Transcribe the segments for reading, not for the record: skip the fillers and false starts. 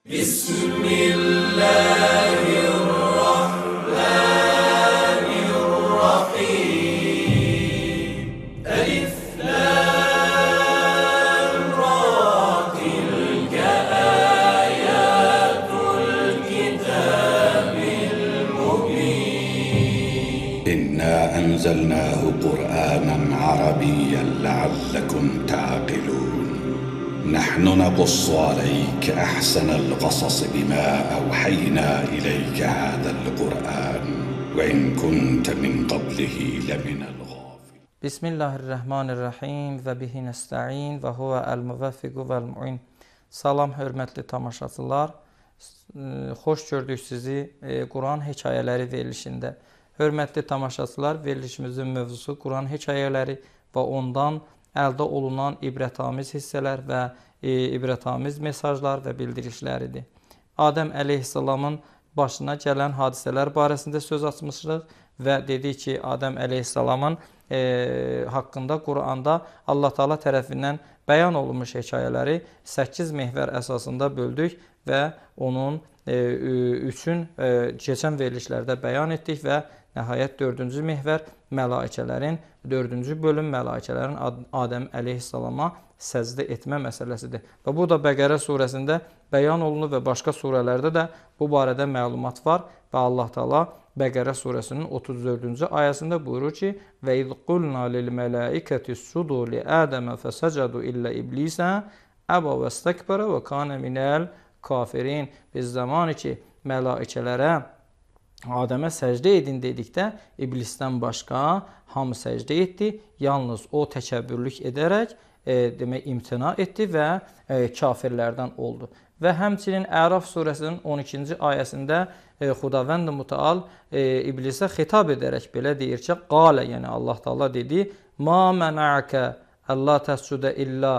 Bismillahirrahmanirrahim. Elif lam ra tilke ayatul kitabil mubin. إنا أنزلناه قرآنا عربيا لعلكم تعقلون نحن نقص عليك أحسن القصص بما أوحينا إليك هذا القرآن وإن كنت من قبله لمن الغافلين. Bismillahirrahmanirrahim və bihi nəstəin və huvə əl-müvəffiqu vəl-mu'in. Salam, hörmətli tamaşaçılar. Xoş gördük sizi Quran hekayələri verilişində. Hörmətli tamaşaçılar, verilişimizin mövzusu Quran hekayələri və ondan əldə olunan ibrətamiz hissələr və ibrətamiz mesajlar və bildirişləridir. Adəm əleyhissalamın başına gələn hadisələr barəsində söz açmışıq və dedik ki, Adəm əleyhissalamın haqqında Quranda Allah Taala tərəfindən bəyan olunmuş hekayələri 8 mehvər əsasında böldük və onun üçün keçən verilişlərdə bəyan etdik və nəhayət 4-cü mehvər mələikələrin, 4-cü bölüm mələikələrin Adəm əleyhissalama səcdə etmə məsələsidir. Və bu da Bəqərə surəsində bəyan olunur və başqa surələrdə də bu barədə məlumat var və Allah Taala Bəqərə surəsinin 34-cü ayəsində buyurur ki: "Və iz qulna lil mələikəti iscudu li Ədəmə fəsəcədu illə iblisə əbə vəstəkbərə və kana minəl kafirin." Biz zamanı ki, mələikələrə Adəmə səcdə edin dedikdə iblisdən başqa hamı səcdə etdi. Yalnız o təkəbbürlük edərək demək imtina etdi və kafirlərdən oldu. Və həmçinin Əraf surəsinin 12-ci ayəsində Xudavənd Mütəal iblisə xitab edərək belə deyir ki, qalə, yəni Allah Taala dedi: "Ma məna'əkə əllə təscudə illə."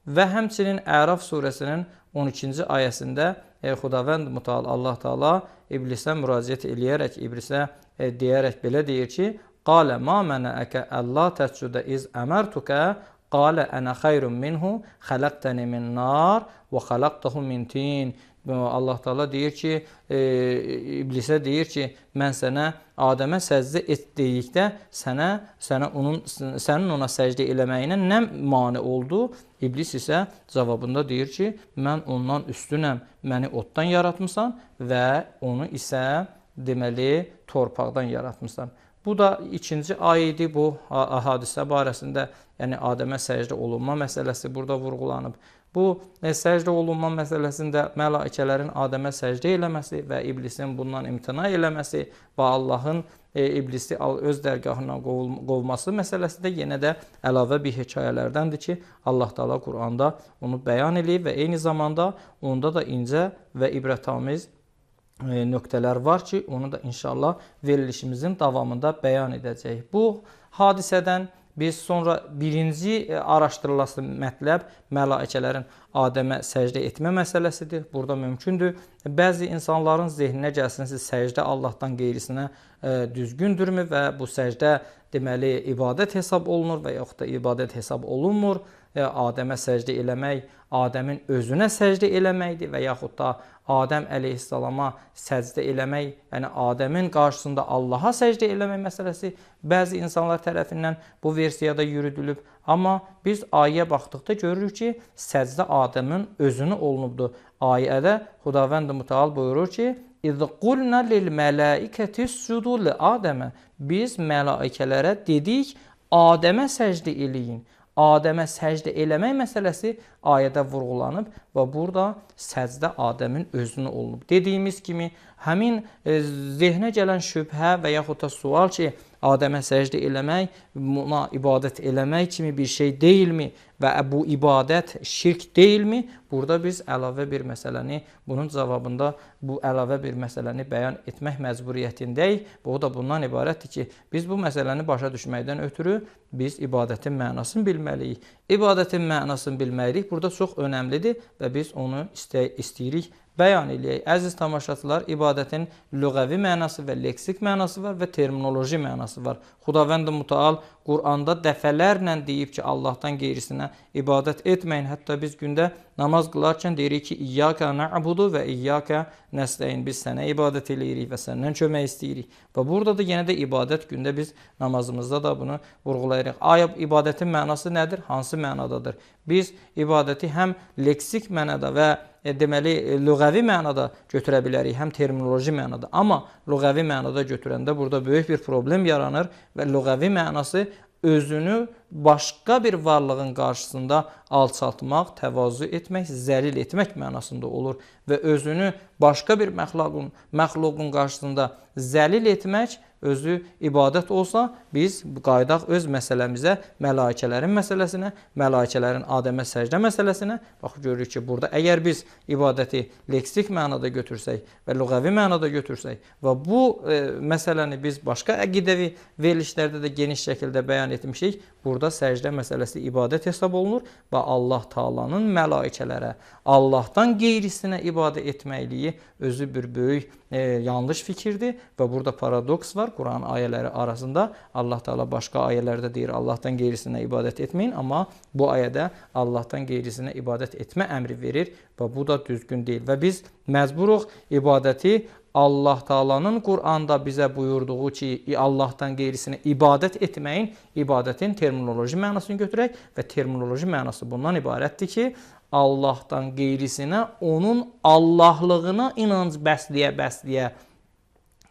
Və həmçinin Əraf surəsinin 12-ci ayəsində Xudavənd Mütəal Allah Taala iblisə müraciət eləyərək iblisə deyərək belə deyir ki: "Qalə ma məna'əkə əllə təscudə iz əmərtukə qalə ənə xayrun minhu xələqtəni min nar və xələqtəhu min tin." Allah Taala deyir ki, iblisə deyir ki, mən sənə Adəmə səcdə et dedikdə sənin ona səcdə eləməyinə nə mane oldu? İblis isə cavabında deyir ki, mən ondan üstünəm, məni oddan yaratmısan və onu isə deməli torpaqdan yaratmısan. Bu da ikinci ayədir bu hadisə barəsində, yəni Adəmə səcdə olunma məsələsi burada vurğulanıb. Bu səcdə olunma məsələsində mələikələrin Adəmə səcdə eləməsi və iblisin bundan imtina eləməsi və Allahın iblisi öz dərgahından qovması məsələsi də yenə də əlavə bir hekayələrdəndir ki, Allah Taala Quranda onu bəyan eləyib və eyni zamanda onda da incə və ibrətamiz nöqtələr var ki, onu da inşallah verilişimizin davamında bəyan edəcəyik. Bu hadisədən biz sonra birinci araşdırılası mətləb mələikələrin Adəmə səcdə etmə məsələsidir. Burada mümkündür. Bəzi insanların zehninə gəlsin ki, səcdə Allahdan qeyrisinə düzgündürmü və bu səcdə deməli ibadət hesab olunur və yaxud da ibadət hesab olunmur. Adəmə səcdə eləmək, Adəmin özünə səcdə eləməkdir və yaxud da Adəm əleyhissalama səcdə eləmək, yəni Adəmin qarşısında Allaha səcdə eləmək məsələsi bəzi insanlar tərəfindən bu versiyada yürüdülüb. Amma biz ayəyə baxdıqda görürük ki, səcdə Adəmin özünə olunubdur. Ayədə Xudavənd Mütəal buyurur ki, İz qulna lil mələikəti iscudu li Adəmə. Biz mələikələrə dedik, Adəmə səcdə eləyin. Adəmə səcdə eləmək məsələsi ayədə vurğulanıb və burada səcdə Adəmin özünə olunub. Dediyimiz kimi, həmin zehnə gələn şübhə və yaxud da sual ki, Adəmə səcdə eləmək, buna ibadət eləmək kimi bir şey deyilmi və bu ibadət şirk deyilmi? Burada biz əlavə bir məsələni, bunun cavabında bu əlavə bir məsələni bəyan etmək məcburiyyətindəyik. Bu da bundan ibarətdir ki, biz bu məsələni başa düşməkdən ötürü biz ibadətin mənasını bilməliyik. İbadətin mənasını bilməliyik burada çox önəmlidir və biz onu istəyirik bəyan eləyək. Əziz tamaşaçılar, ibadətin lüğəvi mənası və leksik mənası var və terminoloji mənası var. Xudavənd Mütəal Quranda dəfələrlə deyib ki, Allahdan qeyrisinə ibadət etməyin. Hətta biz gündə namaz qılarkən deyirik ki, İyyaka na'budu və İyyaka nəstəyin. Biz sənə ibadət eləyirik və səndən kömək istəyirik. Və burada da yenə də ibadət gündə biz namazımızda da bunu vurğulayırıq. Aya ibadətin mənası nədir? Hansı mənadadır? Biz ibadəti həm leksik mənada və deməli, lüğəvi mənada götürə bilərik, həm terminoloji mənada. Amma lüğəvi mənada götürəndə burada böyük bir problem yaranır və lüğəvi mənası özünü başqa bir varlığın qarşısında alçaltmaq, təvazu etmək, zəlil etmək mənasında olur və özünü başqa bir məxluqun qarşısında zəlil etmək özü ibadət olsa, biz qayıdaq öz məsələmizə, mələikələrin məsələsinə, mələikələrin Adəmə səcdə məsələsinə. Bax, görürük ki, burada əgər biz ibadəti leksik mənada götürsək və lüğəvi mənada götürsək və bu məsələni biz başqa əqidəvi verilişlərdə də geniş şəkildə bəyan etmişik, burada səcdə məsələsi ibadət hesab olunur və Allah Taalanın mələikələrə, Allahdan qeyrisinə ibadət etməkliyi özü bir böyük yanlış fikirdir və burada paradoks var. Quran ayələri arasında Allah Taala başqa ayələrdə deyir, Allahdan qeyrisinə ibadət etməyin, amma bu ayədə Allahdan qeyrisinə ibadət etmə əmri verir və bu da düzgün deyil. Və biz məcburuq ibadəti Allah Taalanın Quranda bizə buyurduğu ki, Allahdan qeyrisinə ibadət etməyin, ibadətin terminoloji mənasını götürək və terminoloji mənası bundan ibarətdir ki, Allahdan qeyrisinə onun Allahlığına inanc bəsləyə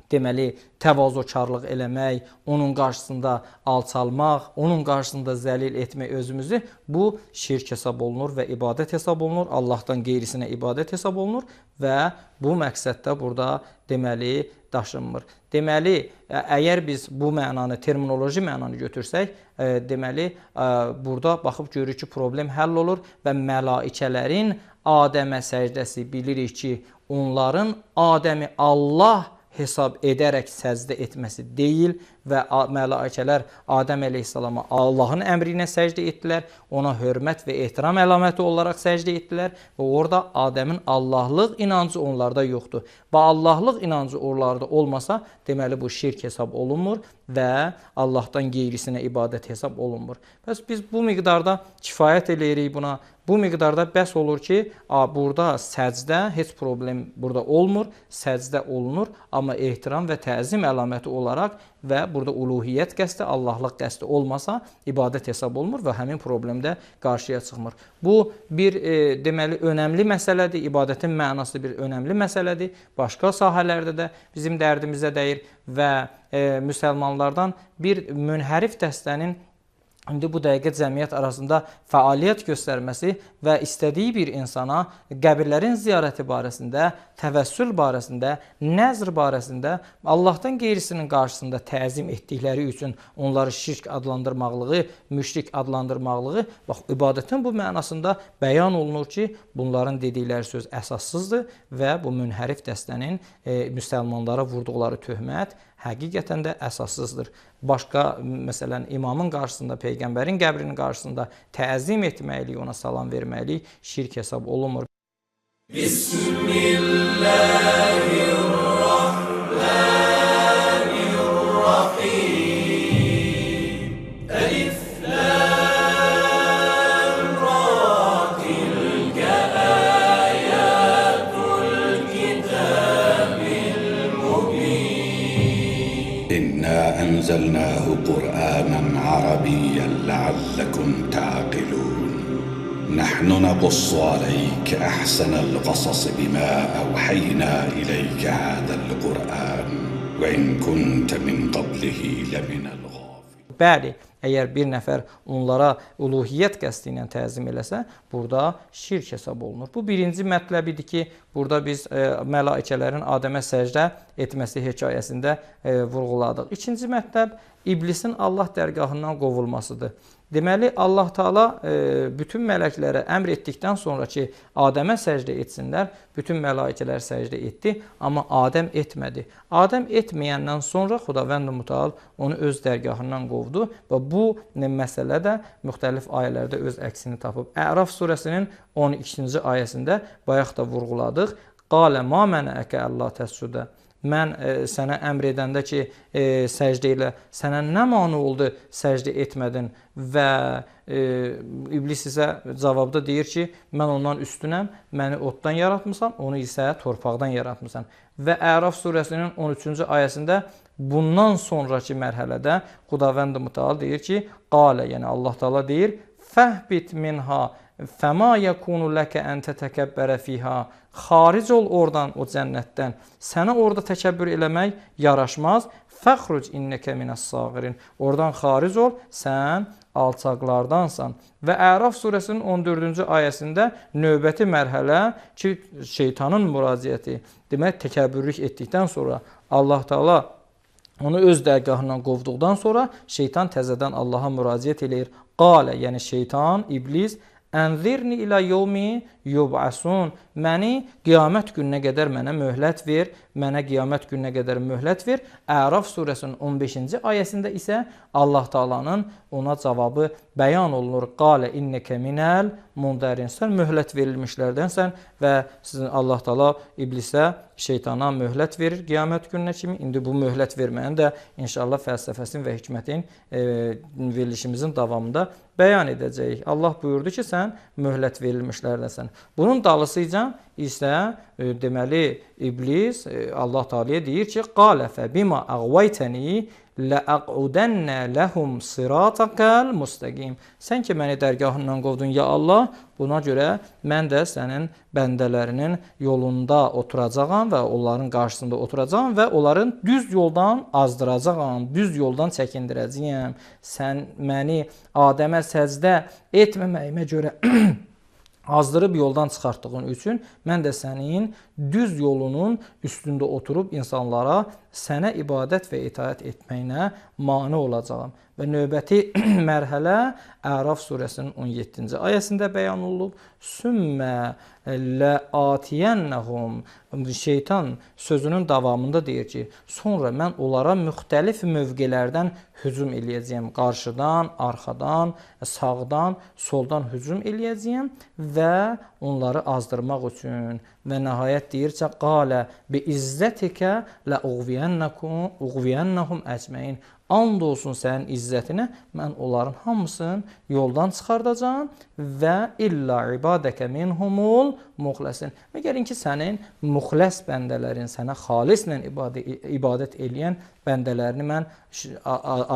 deməli, təvazukarlıq eləmək, onun qarşısında alçalmaq, onun qarşısında zəlil etmək özümüzü, bu şirk hesab olunur və ibadət hesab olunur, Allahdan qeyrisinə ibadət hesab olunur və bu məqsəddə burada deməli daşınmır. Deməli, əgər biz bu mənanı, terminoloji mənanı götürsək, deməli, burada baxıb görürük ki, problem həll olur və mələikələrin Adəmə səcdəsi bilirik ki, onların Adəmi Allah hesab edərək səcdə etməsi deyil və mələikələr Adəm əleyhissalama Allahın əmri ilə səcdə etdilər, ona hörmət və ehtiram əlaməti olaraq səcdə etdilər və orada Adəmin Allahlıq inancı onlarda yoxdur. Və Allahlıq inancı onlarda olmasa, deməli bu şirk hesab olunmur və Allahdan qeyrisinə ibadət hesab olunmur. Bəs biz bu miqdarda kifayət eləyirik buna. Bu miqdarda bəs olur ki, burada səcdə heç problem burada olmur, səcdə olunur, amma ehtiram və təzim əlaməti olaraq və burada uluhiyyət qəsdi, Allahlıq qəsdi olmasa ibadət hesab olunmur və həmin problemdə qarşıya çıxmır. Bu bir deməli önəmli məsələdir, ibadətin mənası bir önəmli məsələdir. Başqa sahələrdə də bizim dərdimizə dəyir və müsəlmanlardan bir münhərif dəstənin İndi bu dəqiqə cəmiyyət arasında fəaliyyət göstərməsi və istədiyi bir insana qəbirlərin ziyarəti barəsində, təvəssül barəsində, nəzr barəsində Allahdan qeyrisinin qarşısında təzim etdikləri üçün onları şirk adlandırmaqlığı, müşrik adlandırmaqlığı, bax, ibadətin bu mənasında bəyan olunur ki, bunların dedikləri söz əsassızdır və bu münhərif dəstənin müsəlmanlara vurduqları töhmət həqiqətən də əsassızdır. Başqa, məsələn, imamın qarşısında, peyğəmbərin qəbrinin qarşısında təzim etməklik, ona salam verməklik şirk hesab olunmur. Bismillahirrahmanirrahim. Elif, lam, ra, tilka ayatul kitabil mubin. إنا أنزلناه قرآنا عربيا لعلكم تعقلون نحن نقص عليك أحسن القصص بما أوحينا إليك هذا القرآن وإن كنت من قبله لمن الغافلين. Bəli, əgər bir nəfər onlara uluhiyyət qəsdi ilə təzim eləsə, burada şirk hesab olunur. Bu birinci mətləbidir ki, burada biz mələikələrin Adəmə səcdə etməsi hekayəsində vurğuladıq. İkinci mətləb iblisin Allah dərgahından qovulmasıdır. Deməli, Allah Taala bütün mələklərə əmr etdikdən sonra ki, Adəmə səcdə etsinlər, bütün mələikələr səcdə etdi, amma Adəm etmədi. Adəm etməyəndən sonra Xudavənd Mütəal onu öz dərgahından qovdu və bu məsələ də müxtəlif ayələrdə öz əksini tapıb. Əraf surəsinin 12-ci ayəsində bayaq da vurğuladıq. Qalə ma mənəəkə əllə təscudə. mən sənə əmr edəndə ki, səcdə elə, sənə nə mane oldu səcdə etmədin? Və iblis isə cavabda deyir ki, mən ondan üstünəm, məni oddan yaratmısan, onu isə torpaqdan yaratmısan. Və Əraf surəsinin 13-cü ayəsində bundan sonraki mərhələdə Xudavənd Mütəal deyir ki, qalə, yəni Allah Teala deyir, fəhbit minha fəma yəkunu ləkə ən tətəkəbbərə fiha. Xaric ol oradan, o cənnətdən. Sənə orada təkəbbür eləmək yaraşmaz. Fəxruc innəkə minəs-sağirin. Oradan xaric ol, sən alçaqlardansan. Və Əraf surəsinin 14-cü ayəsində növbəti mərhələ ki, şeytanın müraciəti. Demək, təkəbbürlük etdikdən sonra Allah Teala onu öz dərgahından qovduqdan sonra şeytan təzədən Allaha müraciət eləyir. Qalə, yəni şeytan, iblis, ənzirni ilə yevmi yub'asun. Məni qiyamət gününə qədər mənə möhlət ver, mənə qiyamət gününə qədər möhlət ver. Əraf surəsinin 15-ci ayəsində isə Allah Taalanın ona cavabı bəyan olunur. Qalə innəkə minəl mundarin. Sən möhlət verilmişlərdənsən və sizin Allah Taala iblisə, şeytana möhlət verir qiyamət gününə kimi. İndi bu möhlət verməyəni də inşallah fəlsəfəsin və hikmətin verilişimizin davamında bəyan edəcəyik. Allah buyurdu ki, sən möhlət verilmişlərdənsən. Bunun dalısıca isə deməli iblis Allah Teala'ya deyir ki, qalə fə bima əğvaytəni ləəqudənnə ləhum sırataqəl müstəqim. Sən ki, məni dərgahından qovdun, ya Allah, buna görə mən də sənin bəndələrinin yolunda oturacağam və onların qarşısında oturacağam və onların düz yoldan azdıracağam, düz yoldan çəkindirəcəyəm. Sən məni Adəmə səcdə etməməyimə görə azdırıb yoldan çıxartdığın üçün mən də sənin düz yolunun üstündə oturub insanlara sənə ibadət və itaət etməyinə mane olacağam. Və növbəti mərhələ Əraf surəsinin 17-ci ayəsində bəyan olunub. Sümmə ləatiyənnəhum. Şeytan sözünün davamında deyir ki, sonra mən onlara müxtəlif mövqelərdən hücum eləyəcəyəm. Qarşıdan, arxadan, sağdan, soldan hücum eləyəcəyəm və onları azdırmaq üçün. Və nəhayət deyir ki, qalə bi izzətikə ləuğviyənnəhum əcməin. And olsun sənin izzətinə, mən onların hamısını yoldan çıxardacağım və illə ibadəkə minhumul muxləsin. Məgərin ki, sənin muxləs bəndələrin, sənə xalislə ibadət eləyən bəndələrini mən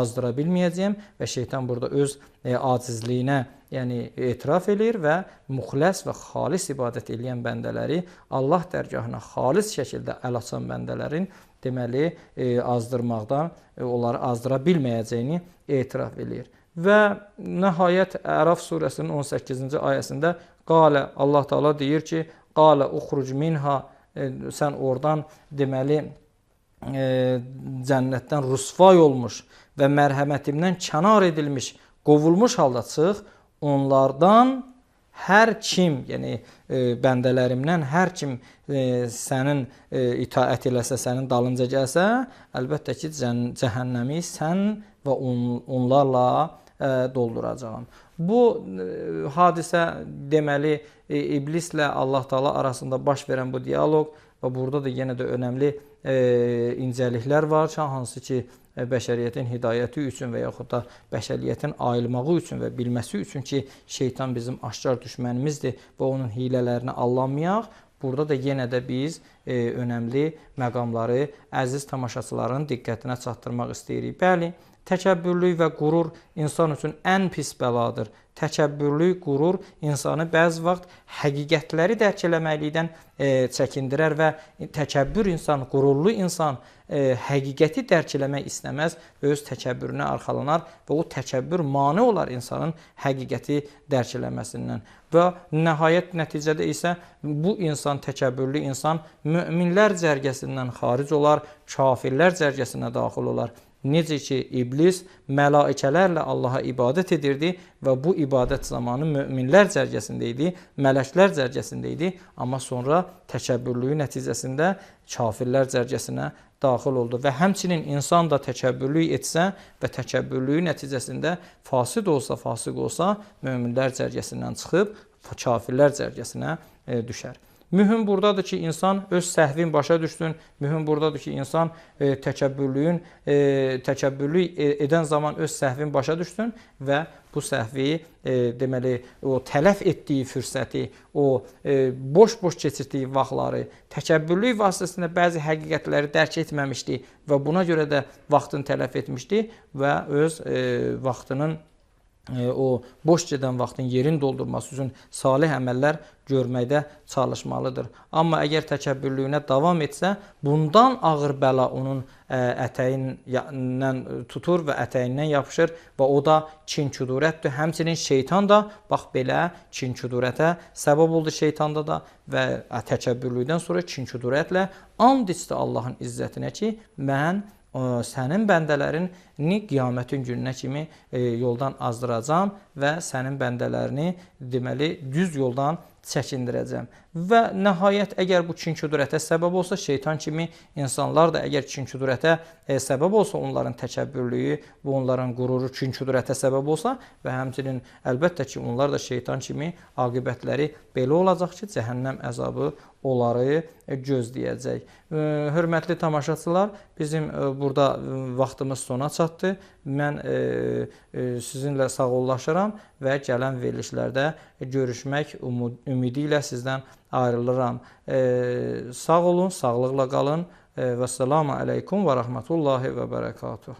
azdıra bilməyəcəyəm və şeytan burada öz acizliyinə yəni etiraf edir və muxləs və xalis ibadət eləyən bəndələri Allah dərgahına xalis şəkildə əl açan bəndələrin deməli azdırmaqdan onları azdıra bilməyəcəyini etiraf edir. Və nəhayət Əraf surəsinin 18-ci ayəsində qalə Allah Teala deyir ki, qalə uxruc minha, sən oradan deməli cənnətdən rüsvay olmuş və mərhəmətimdən kənar edilmiş, qovulmuş halda çıx, onlardan hər kim, yəni bəndələrimdən hər kim sənin itaət eləsə, sənin dalınca gəlsə, əlbəttə ki, cəhənnəmi sən və onlarla dolduracağam. Bu hadisə deməli iblislə Allah Teala arasında baş verən bu dialoq və burada da yenə də önəmli incəliklər var, hansı ki, bəşəriyyətin hidayəti üçün və yaxud da bəşəriyyətin ayılmağı üçün və bilməsi üçün ki, şeytan bizim aşkar düşmənimizdir və onun hilələrini allanmayaq. Burada da yenə də biz önəmli məqamları əziz tamaşaçıların diqqətinə çatdırmaq istəyirik. Bəli, təkəbbürlük və qurur insan üçün ən pis bəladır. Təkəbbürlük, qurur insanı bəzi vaxt həqiqətləri dərk eləməklikdən çəkindirər və təkəbbür insan, qururlu insan həqiqəti dərk eləmək istəməz və öz təkəbbürünə arxalanar və o təkəbbür mane olar insanın həqiqəti dərk eləməsindən. Və nəhayət nəticədə isə bu insan, təkəbbürlü insan möminlər cərgəsindən xaric olar, kafirlər cərgəsinə daxil olar. Necə ki, iblis mələikələrlə Allaha ibadət edirdi və bu ibadət zamanı möminlər cərgəsində idi, mələklər cərgəsində idi, amma sonra təkəbbürlüyü nəticəsində kafirlər cərgəsinə daxil oldu. Və həmçinin insan da təkəbbürlük etsə və təkəbbürlüyü nəticəsində fasid olsa, fasiq olsa, möminlər cərgəsindən çıxıb kafirlər cərgəsinə düşər. Mühüm buradadır ki, insan öz səhvin başa düşsün. Mühüm buradadır ki, insan təkəbbürlük edən zaman öz səhvin başa düşsün və bu səhvi deməli o tələf etdiyi fürsəti, o boş-boş keçirdiyi vaxtları, təkəbbürlük vasitəsilə bəzi həqiqətləri dərk etməmişdi və buna görə də vaxtını tələf etmişdi və öz vaxtının o boş gedən vaxtın yerini doldurması üçün salih əməllər görməkdə çalışmalıdır. Amma əgər təkəbbürlüyünə davam etsə, bundan ağır bəla onun ətəyindən tutur və ətəyindən yapışır və o da kin-kudurətdir. Həmçinin şeytan da bax belə kin-kudurətə səbəb oldu şeytanda da və təkəbbürlükdən sonra kin-kudurətlə and içdi Allahın izzətinə ki, mən sənin bəndələrini qiyamətin gününə kimi yoldan azdıracam və sənin bəndələrini deməli düz yoldan çəkindirəcəm. Və nəhayət əgər bu kin-kudurətə səbəb olsa, şeytan kimi insanlar da əgər kin-kudurətə səbəb olsa, onların təkəbbürlüyü və onların qüruru kin-kudurətə səbəb olsa və həmçinin əlbəttə ki, onlar da şeytan kimi aqibətləri belə olacaq ki, cəhənnəm əzabı onları gözləyəcək. Hörmətli tamaşaçılar, bizim burada vaxtımız sona çatdı. Mən sizinlə sağollaşıram və gələn verilişlərdə görüşmək ümidi ilə sizdən ayrılıram. Sağ olun, sağlıqla qalın. Vəssalamu aleykum və rəhmətullahi və bərəkatuh.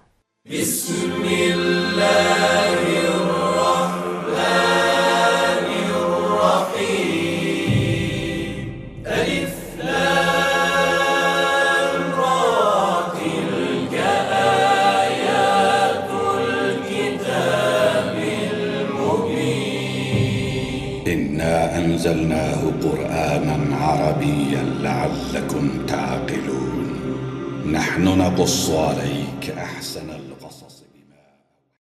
Bismillahirrahmanirrahim. Elif, lam, ra, tilka ayatul kitabil mubin. إنا أنزلناه قرآنا عربيا لعلكم تعقلون نحن نقص عليك أحسن